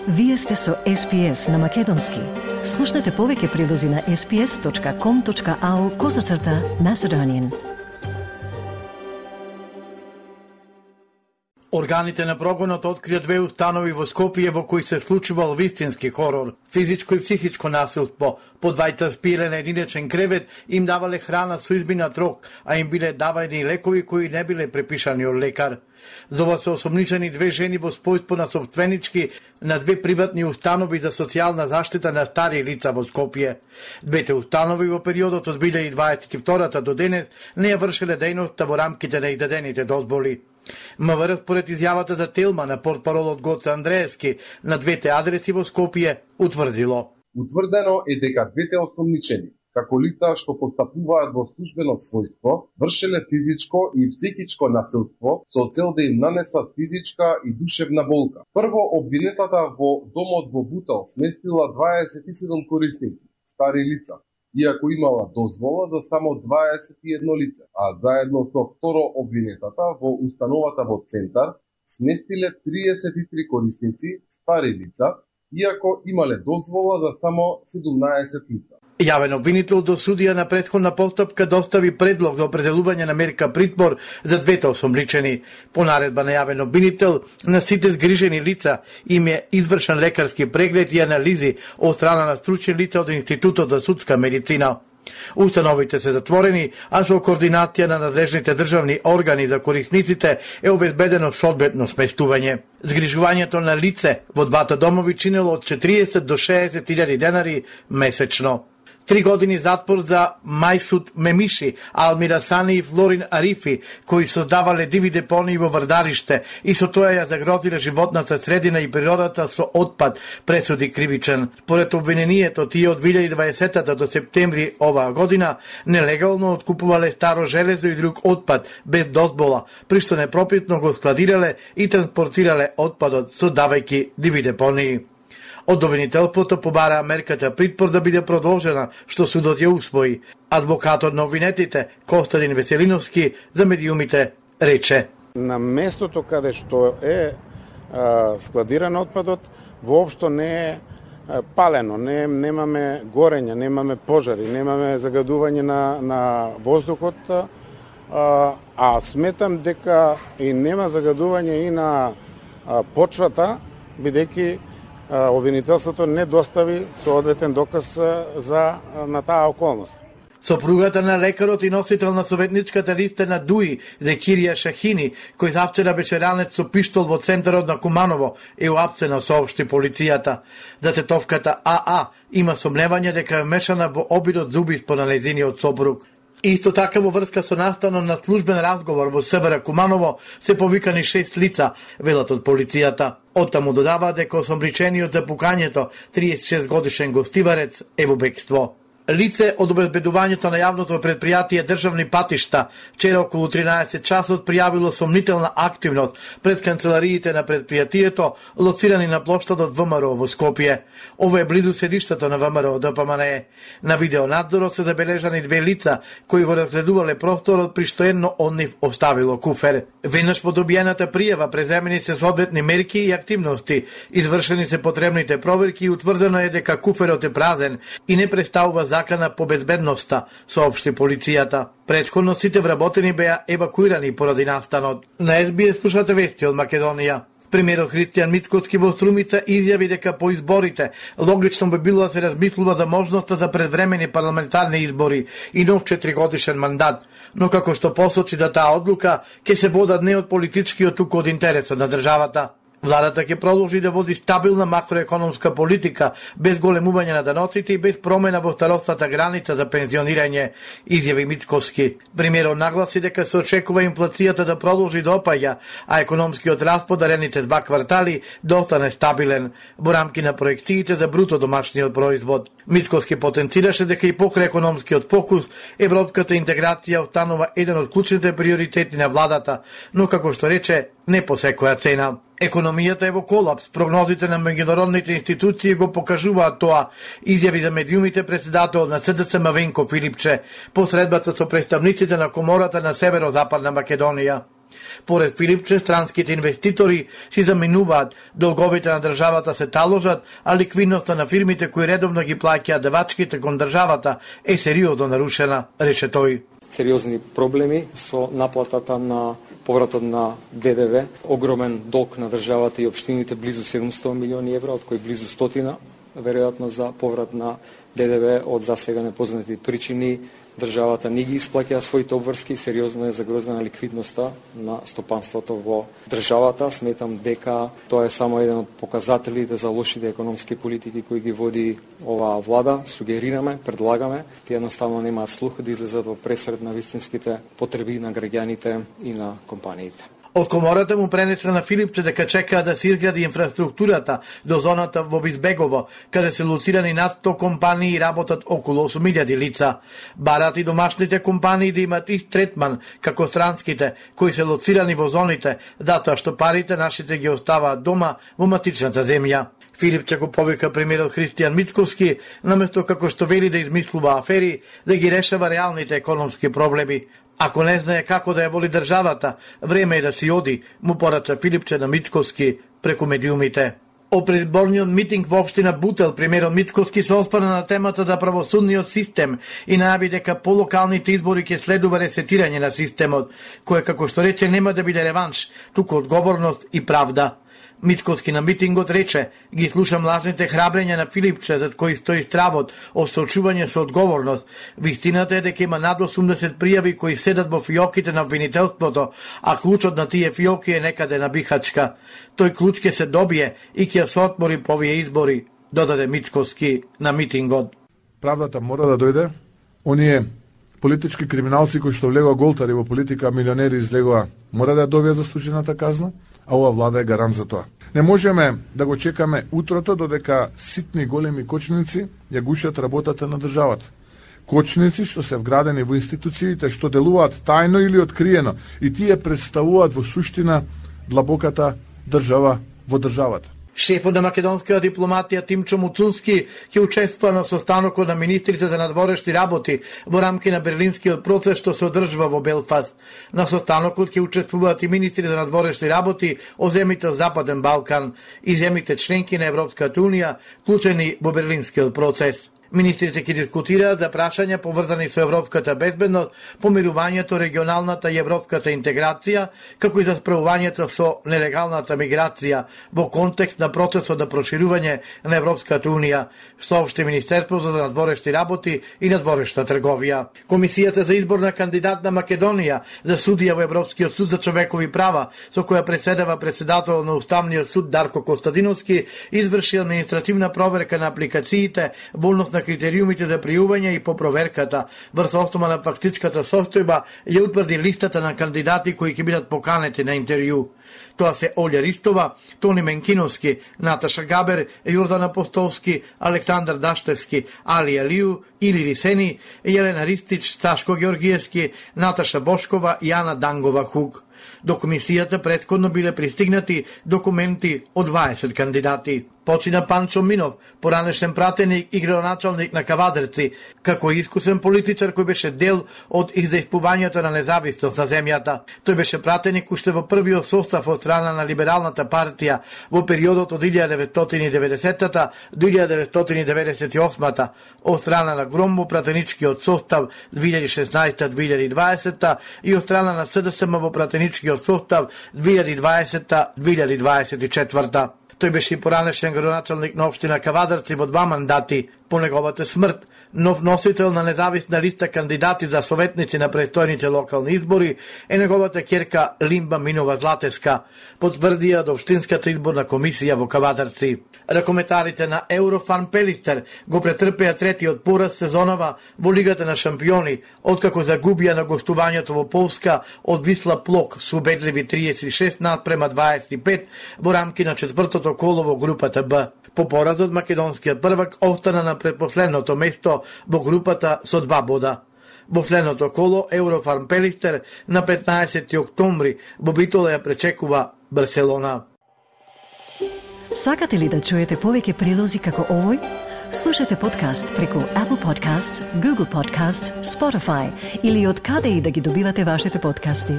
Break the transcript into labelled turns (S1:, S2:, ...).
S1: Вие сте со SPS на Македонски. Слушнете повеќе прилози на sps.com.au/Macedonian.
S2: Органите на прогонот открија 2 установи во Скопје во кои се случувал вистински хорор. Физичко и психичко насилство. По двајца спиеле на единечен кревет, им давале храна со изминат рок, а им биле даваени лекови кои не биле препишани од лекар. За ова се осомничени 2 жени во спојство на собственички на 2 приватни установи за социјална заштита на стари лица во Скопје. Двете установи во периодот од 2022 до денес не ја вршеле дејноста во рамките на издадените дозволи. МВР според изјавата за Телма на портпаролот Гоце Андреевски на 2 адреси во Скопје утврдило.
S3: Утврдено е дека 2 осомничени, како лица што постапуваат во службено својство, вршеле физичко и психичко насилство со цел да им нанесат физичка и душевна болка. Прво, обвинетата во домот во Бутел сместила 27 корисници, стари лица, иако имала дозвола за само 21 лице, а заедно со второ обвинетата во установата во Центар сместиле 33 корисници, стари лица, иако имале дозвола за само 17 лица.
S2: Јавен обвинител до судија на претходна постапка достави предлог за определување на мерка притвор за 2 осомничени. По наредба на јавен обвинител, на сите згрижени лица им е извршен лекарски преглед и анализи од страна на стручни лица од Институтот за судска медицина. Установите се затворени, а со координација на надлежните државни органи за корисниците е обезбедено соодветно сместување. Згрижувањето на лице во двата домови чинело од 40 до 60.000 денари месечно. 3 години затвор за Мајсуд Мемиши, Алмира Сани и Флорин Арифи, кои создавале диви депонии во Врдариште и со тоа ја загрозиле животната средина и природата со отпад, пресуди кривичен. Според обвинението, тие од 2020 до септември оваа година нелегално откупувале старо железо и друг отпад без дозвола, при што непропитно го складирале и транспортирале отпадот, создавајќи диви депонии. Од обвинителството побара мерката притвор да биде продолжена, што судот ја усвои. Адвокатот на обвинетите, Костадин Веселиновски, за медиумите рече:
S4: на местото каде што е складиран отпадот, воопшто не е палено, немаме горење, немаме пожари, немаме загадување на воздухот, а сметам дека и нема загадување и на почвата, бидејќи обвинителството не достави соодветен доказ на таа околност.
S2: Сопругата на лекарот и носител на советничката листа на ДУИ, Зекирија Шахини, кој завчера беше ранет со пиштол во центарот на Куманово, е уапсена, соопшти полицијата. За тетовката АА има сомневање дека е вмешана во обидот за убиство на нејзиниот сопруг. Исто така во врска со настанот на службен разговор во СВР Куманово се повикани 6 лица, велат од полицијата. Оттаму додава дека осомничениот за пукањето, 36 годишен гостиварец, е во бегство. Лице од обезбедувањето на јавното предпријатие Државни патишта вчера околу 13 часот пријавило сомнителна активност пред канцелариите на предпријатието, лоцирани на плоштадот ВМРО во Скопје. Ова е близу седиштето на ВМРО ДПМНЕ. На видеонадзорот се забележани 2 лица кои го разгледувале просторот, при што едно од нив оставило куфер. Веднаш по добиената пријава преземени се соодветни мерки и активности, извршени се потребните проверки и утврдено е дека куферот е празен и не представува закана по безбедноста, соопшти полицијата. Претходно сите вработени беа евакуирани поради настанот. На СБС слушате вести од Македонија. Премиерот Христијан Мицкоски во Струмица изјави дека по изборите логично би било да се размислува за можноста за предвремени парламентарни избори и нов 4-годишен мандат, но како што посочи за таа одлука ќе се водат не од политичкиот, туку од интересот на државата. Владата ќе продолжи да води стабилна макроекономска политика, без големување на даноците и без промена во старосната граница за пензионирање, изјави Мицкоски. Премиерот нагласи дека се очекува инфлацијата да продолжи да опаѓа, а економскиот раст по дарените 2 квартали да остане стабилен во рамки на проекциите за бруто домашниот производ. Мицкоски потенцираше дека и покрај економскиот фокус, европската интеграција останува еден од клучните приоритети на владата, но како што рече, не по секоја цена. Економијата е во колапс, прогнозите на меѓународните институции го покажуваат тоа, изјави за медиумите председател на СДСМ Венко Филипче, по средбата со представниците на Комората на Северозападна Македонија. Поред Филипче, странските инвеститори си заминуваат, долговите на државата се таложат, а ликвидноста на фирмите кои редовно ги плаќаат давачките кон државата е сериозно нарушена, рече тој.
S5: Сериозни проблеми со наплатата на повратот на ДДВ, огромен долг на државата и општините, близу 700 милиони евра, од кои близу 100 веројатно за поврат на ДДВ од засега непознати причини. Државата не ги исплаќа своите обврски, сериозно е загрозена ликвидноста на стопанството во државата. Сметам дека тоа е само еден од показателите за лошите економски политики кои ги води оваа влада. Сугерираме, предлагаме, тие едноставно немаат слух да излезат во пресред на вистинските потреби на граѓаните и на компаниите.
S2: Од комората му пренесла на Филипче дека чекаа да се изгради инфраструктурата до зоната во Бизбегово, каде се лоцирани над 100 компании и работат околу 8.000 лица. Барат и домашните компании да имат ист третман како странските, кои се лоцирани во зоните, затоа што парите нашите ги оставаат дома во матичната земја. Филипче го повика премиерот Христијан Мицковски, наместо како што вели да измислува афери, да ги решава реалните економски проблеми. Ако не знае како да ја воли државата, време е да си оди, му порача Филипче на Мицковски преку медиумите. О предизборниот митинг во општина Бутел, премиерот Мицковски се оспрна на темата за правосудниот систем и најави дека по локалните избори ќе следува ресетирање на системот, кој како што рече нема да биде реванш, туку одговорност и правда. Мицковски на митингот рече: ги слушам лажните храбрења на Филипче, зад кои стои стравот од соочување со одговорност. Вистината е дека има над 80 пријави кои седат во фиоките на обвинителството, а клучот на тие фиоки е некаде на Бихачка. Тој клуч ќе се добие и ќе се отмори по овие избори, додаде Мицковски на митингот.
S6: Правдата мора да дојде. Оние политички криминалци кои што влегоа голтари во политика, милионери излегоа, мора да добијат заслужената казна, а ова влада е гарант за тоа. Не можеме да го чекаме утрото додека ситни големи кочници ја гушат работата на државата. Кочници што се вградени во институциите, што делуваат тајно или откриено, и тие представуваат во суштина длабоката држава во државата.
S2: Шефот на македонската дипломатија Тимчо Муцунски ќе учествува на состанокот на министрите за надворешни работи во рамки на Берлинскиот процес што се одржува во Белфаст. На состанокот ќе учествуваат и министри за надворешни работи од земјите од Западен Балкан и земјите членки на Европската унија, вклучени во Берлинскиот процес. Министрите ќе дискутираат за прашања поврзани со европската безбедност, помирувањето, регионалната и европската интеграција, како и за справувањето со нелегалната миграција во контекст на процесот на проширување на Европската унија, соопшти Министерството за надворешни работи и надворешна трговија. Комисијата за избор на кандидат на Македонија за судија во Европскиот суд за човекови права, со која преседава председател на Уставниот суд Дарко Костадиновски, изврши административна проверка на апликациите во однос на критериумите за пријување и по проверката врз основа на фактичката состојба ја утврди листата на кандидати кои ќе бидат поканети на интервју. Тоа се Олја Ристова, Тони Менкиновски, Наташа Габер, Јордан Апостолски, Александар Даштевски, Али Алију, Или Рисени, Јелена Ристич, Сташко Георгиевски, Наташа Бошкова и Ана Дангова Хук. До комисијата претходно биле пристигнати документи од 20 кандидати. Почина Панчо Минов, поранешен пратеник и градоначалник на Кавадарци, како искусен политичар кој беше дел од издајствувањето на независност на земјата. Тој беше пратеник уште во првиот состав од страна на Либералната партија во периодот од 1990-та до 1998-та, од страна на Громбо пратеничкиот состав 2016-2020 и од страна на СДСМ во пратеничкиот состав 2020-2024. Тој беше и поранешен градоначалник на општина Кавадарци во 2 мандати. По неговата смрт, нов носител на независна листа кандидати за советници на престојните локални избори е неговата ќерка Лимба Минова Златеска, потврдија од општинската изборна комисија во Кавадарци. Ракометарите на Еврофан Пелистер го претрпеа третиот пораз сезонова во Лигата на шампиони, откако загубија на гостувањето во Полска од Висла Плок со убедливи 36:25 во рамки на четвртото коло во групата Б. По поразот, македонскиот првак остана на предпоследното место во групата со 2 бода. Во следното коло Еврофарм Пелистер на 15 октомври во Битола ја пречекува Барселона.
S1: Сакате ли да чуете повеќе прилози како овој? Слушате подкаст преку Apple Podcasts, Google Podcasts, Spotify или од каде и да ги добивате вашите подкасти.